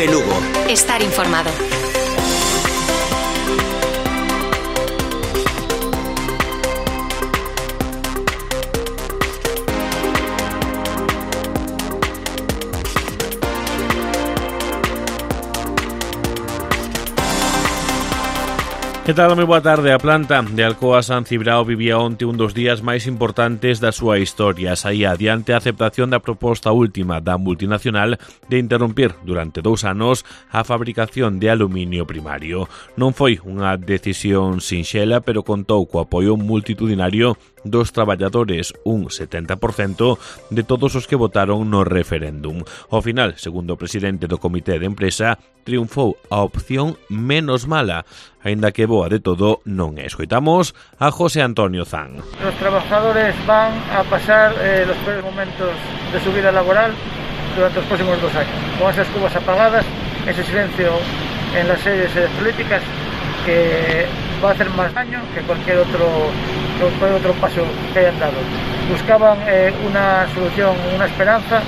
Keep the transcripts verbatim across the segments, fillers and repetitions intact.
Cope Lugo. Estar informado. Que tal? Moi boa tarde. A planta de Alcoa San Cibrao vivía onte un dos días máis importantes da súa historia. Saía adiante a aceptación da proposta última da multinacional de interrompir durante dous anos a fabricación de aluminio primario. Non foi unha decisión sinxela, pero contou co apoio multitudinario dos traballadores, un setenta por cento de todos os que votaron no referéndum. Ao final, segundo o presidente do comité de empresa, triunfou a opción menos mala, aínda que boa de todo non é. Escoitamos a José Antonio Zan. Los trabajadores van a pasar eh, los peores momentos de su vida laboral durante los próximos dos años, con esas cubas apagadas, ese silencio en las sedes políticas que va a hacer más daño que cualquier otro, cualquier otro paso que hayan dado. Buscaban eh, una solución, una esperanza,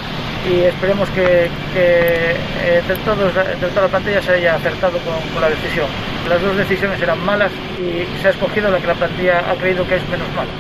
y esperemos que, que eh, entre, todos, entre toda la plantilla se haya acertado con, con la decisión. Las dos decisiones eran malas y se ha escogido la que la plantilla ha creído que es menos mala.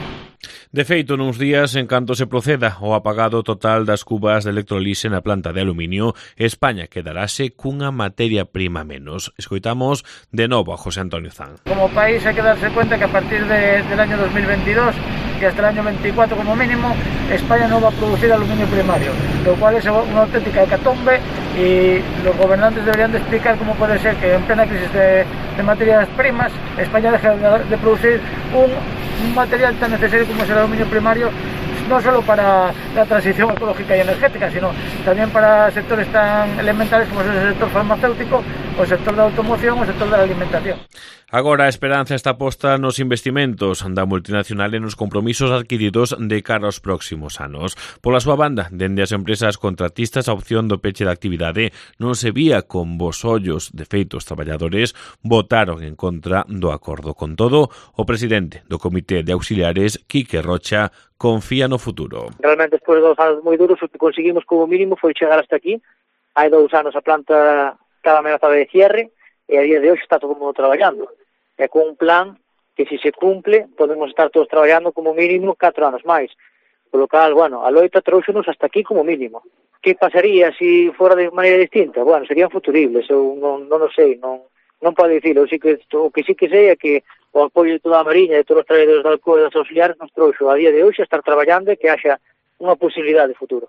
De feito, nuns días, en canto se proceda ao apagado total das cubas de electrolise na planta de aluminio, España quedarase cunha materia prima menos. Escoitamos de novo a José Antonio Zan. Como país hay que darse cuenta que a partir de, del año dos mil veintidós y hasta el año veinticuatro como mínimo, España no va a producir aluminio primario, lo cual es una auténtica hecatombe, y los gobernantes deberían de explicar cómo puede ser que en plena crisis de, de materias primas España deje de, de producir un un material tan necesario como es el aluminio primario, no solo para la transición ecológica y energética, sino también para sectores tan elementales como es el sector farmacéutico, o el sector de la automoción, o el sector de la alimentación. Agora a esperanza está posta nos investimentos da multinacional e nos compromisos adquiridos de cara aos próximos anos. Pola súa banda, dende as empresas contratistas, a opción do peche da actividade non se vía con bos ollos. De feito, os traballadores votaron en contra do acordo. Con todo, o presidente do Comité de Auxiliares, Quique Rocha, confía no futuro. Realmente, despois de dos anos moi duros, o que conseguimos como mínimo foi chegar hasta aquí. Hai dous anos a planta cada amenazada de cierre, e a día de hoxe está todo o mundo traballando. É con un plan que, se se cumple, podemos estar todos traballando como mínimo catro anos máis. Por lo cal, bueno, a loita trouxenos hasta aquí como mínimo. Que pasaría se fora de maneira distinta? Bueno, serían futuribles, eu non, non o sei, non, non podo dicilo. O que, o que sí que sei é que o apoio de toda a Mariña e de todos os traballadores da Alcoa e das auxiliares nos trouxo a día de hoxe a estar traballando e que haxa unha posibilidade de futuro.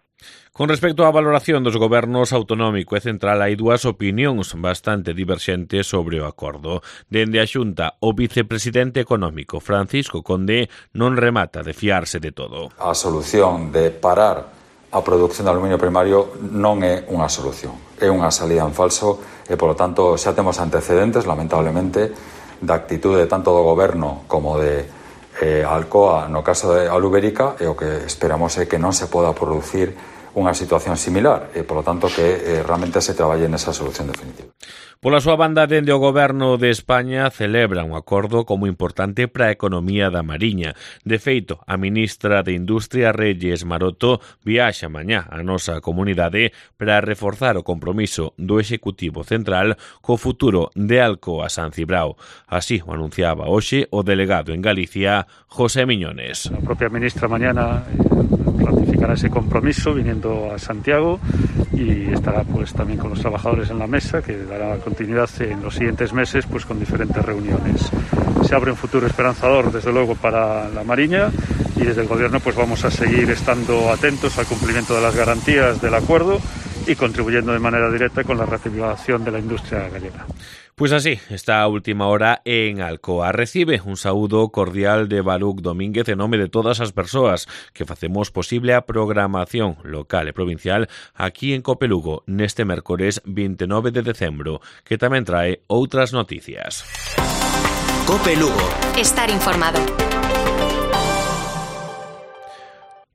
Con respecto á valoración dos gobernos autonómico e central, hai dúas opinións bastante diverxentes sobre o acordo. Dende a Xunta, o vicepresidente económico Francisco Conde non remata de fiarse de todo. A solución de parar a produción de aluminio primario non é unha solución, é unha salida en falso e, polo tanto, xa temos antecedentes, lamentablemente, da actitude tanto do goberno como de Eh, Alcoa no caso de Alubérica, e o que esperamos é que non se poda producir unha situación similar e, polo tanto, que eh, realmente se traballe nesa solución definitiva. Pola súa banda, dende o Goberno de España celebra un acordo como importante para a economía da Mariña. De feito, a ministra de Industria, Reyes Maroto, viaxa mañá á nosa comunidade para reforzar o compromiso do Executivo Central co futuro de Alcoa San Cibrao. Así o anunciaba hoxe o delegado en Galicia, José Miñones. La propia ministra mañana ratificará ese compromiso viniendo a Santiago y estará pues también con los trabajadores en la mesa, que dará continuidad en los siguientes meses pues con diferentes reuniones. Se abre un futuro esperanzador desde luego para la Mariña, y desde el Gobierno pues vamos a seguir estando atentos al cumplimiento de las garantías del acuerdo y contribuyendo de manera directa con la reactivación de la industria gallega. Pois así, está a última hora en Alcoa. Recibe un saúdo cordial de Baruc Domínguez en nome de todas as persoas que facemos posible a programación local e provincial aquí en Cope Lugo neste mércores veintinueve de decembro, que tamén trae outras noticias. Cope Lugo. Estar informado.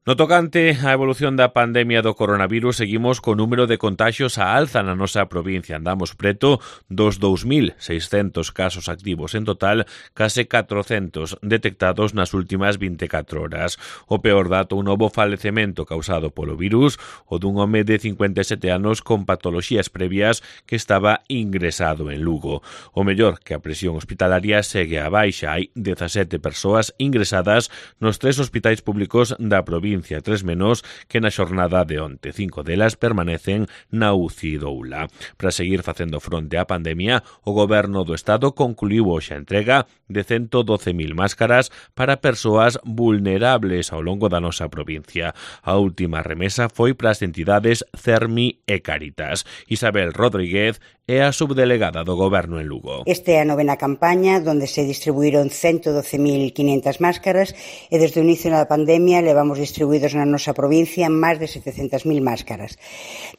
No tocante á evolución da pandemia do coronavirus, seguimos co número de contaxios a alza na nosa provincia. Andamos preto dos dous mil seiscentos casos activos en total, case catrocentos detectados nas últimas vinte e catro horas. O peor dato, un novo falecemento causado polo virus, o dun home de cincuenta e sete anos con patoloxías previas que estaba ingresado en Lugo. O mellor, que a presión hospitalaria segue a baixa. Hai dezasete persoas ingresadas nos tres hospitais públicos da provincia, tres menos que na xornada de onte. Cinco delas permanecen na U C I do Ula. Para seguir facendo fronte á pandemia, o Goberno do Estado concluiu hoxe a entrega de ciento doce mil máscaras para persoas vulnerables ao longo da nosa provincia. A última remesa foi para as entidades Cermi e Cáritas. Isabel Rodríguez é a subdelegada do Goberno en Lugo. Esta é a novena campaña onde se distribuíron ciento doce mil quinhentas máscaras e desde o inicio da pandemia levamos distribuídos na nosa provincia máis de setecentas mil máscaras.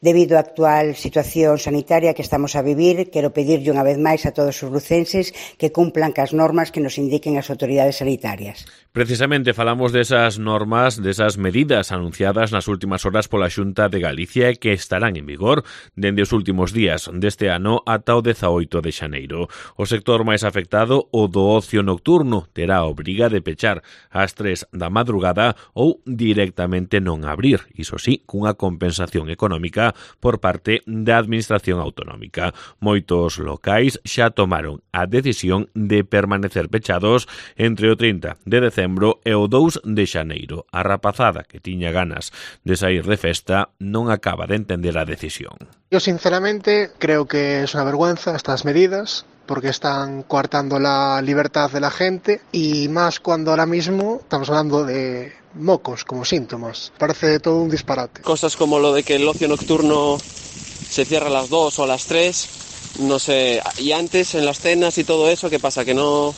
Debido á actual situación sanitaria que estamos a vivir, quero pedirlle unha vez máis a todos os lucenses que cumplan cas normas que nos indiquen as autoridades sanitarias. Precisamente falamos desas normas, desas medidas anunciadas nas últimas horas pola Xunta de Galicia que estarán en vigor dende os últimos días deste ano ata o dezaoito de xaneiro. O sector máis afectado, o do ocio nocturno, terá a obriga de pechar ás tres da madrugada ou directamente non abrir, iso sí, cunha compensación económica por parte da Administración Autonómica. Moitos locais xa tomaron a decisión de permanecer pechados entre o trinta de decembro e o dous de xaneiro. A rapazada que tiña ganas de sair de festa non acaba de entender a decisión. Yo sinceramente creo que es una vergüenza estas medidas, porque están coartando la libertad de la gente y más cuando ahora mismo estamos hablando de mocos como síntomas. Parece todo un disparate. Cosas como lo de que el ocio nocturno se cierra a las dos o a las tres, no sé, y antes en las cenas y todo eso, ¿qué pasa? Que no...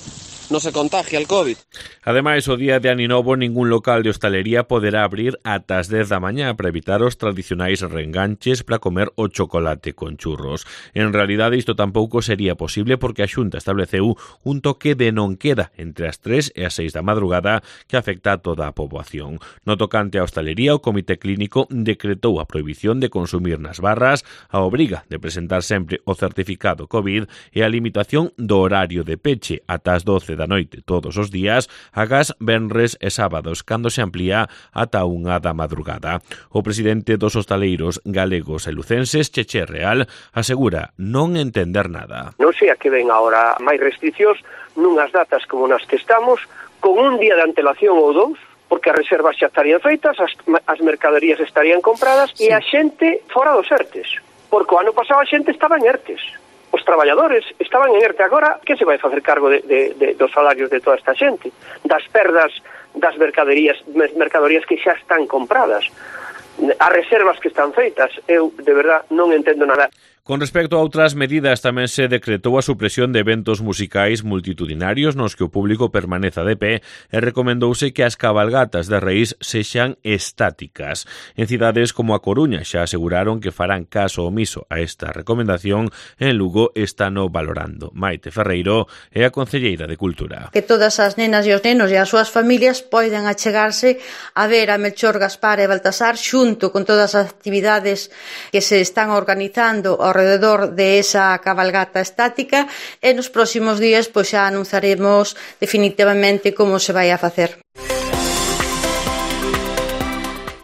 no se contagia el COVID. Ademais, o día de Ano Novo ningún local de hostalería poderá abrir ata as dez da mañá para evitar os tradicionais reenganches para comer o chocolate con churros. En realidade, isto tampouco sería posible porque a Xunta estableceu un toque de non queda entre as tres e as seis da madrugada que afecta a toda a poboación. No tocante á hostalería, o Comité Clínico decretou a prohibición de consumir nas barras, a obriga de presentar sempre o certificado COVID e a limitación do horario de peche ata as doce da noite todos os días, agás venres e sábados, cando se amplía ata unha da madrugada. O presidente dos hostaleiros galegos e lucenses, Cheche Real, asegura non entender nada. Non sei a que ven agora máis restriccións nunhas datas como nas que estamos, con un día de antelación ou dous, porque as reservas xa estarían feitas, as, as mercaderías estarían compradas, sí. E a xente fora dos ERTES, porque o ano pasado a xente estaba en ERTES. Os traballadores estaban en ERTE agora, que se vai facer cargo de, de, de, dos salarios de toda esta xente? Das perdas das mercaderías, mercadorías que xa están compradas, as reservas que están feitas. Eu, de verdad, non entendo nada. Con respecto a outras medidas, tamén se decretou a supresión de eventos musicais multitudinarios nos que o público permaneza de pé e recomendouse que as cabalgatas de Reis sexan estáticas. En cidades como a Coruña xa aseguraron que farán caso omiso a esta recomendación. En Lugo están o valorando. Maite Ferreiro é a concelleira de Cultura. Que todas as nenas e os nenos e as súas familias poden achegarse a ver a Melchor, Gaspar e Baltasar xunto con todas as actividades que se están organizando ao alrededor de esa cabalgata estática e nos próximos días pois xa anunciaremos definitivamente como se vai a facer.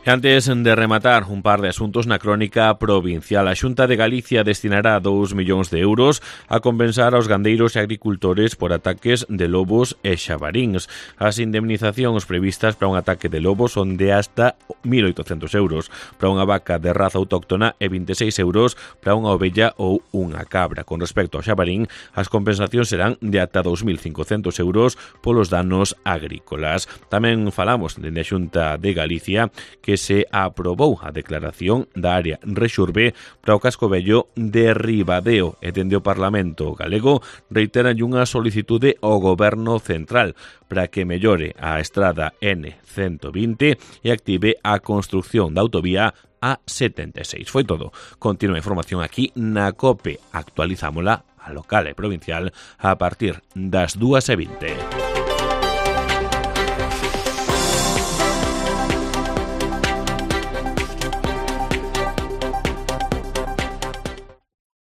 Antes de rematar un par de asuntos na crónica provincial, a Xunta de Galicia destinará dous millóns de euros a compensar aos gandeiros e agricultores por ataques de lobos e xabaríns. As indemnizacións previstas para un ataque de lobos son de hasta mil oitocentos euros, para unha vaca de raza autóctona e vinte e seis euros para unha ovella ou unha cabra. Con respecto ao xabarín, as compensacións serán de ata dous mil cincocentos euros polos danos agrícolas. Tamén falamos dende a Xunta de Galicia que se aprobou a declaración da área Rexurbe para o casco vello de Ribadeo e dende o Parlamento galego reiteran unha solicitude ao Goberno Central para que mellore a estrada N ciento vinte e active a construción da autovía A setenta e seis. Foi todo. Continúa a información aquí na COPE. Actualizámola a local e provincial a partir das dúas e vinte.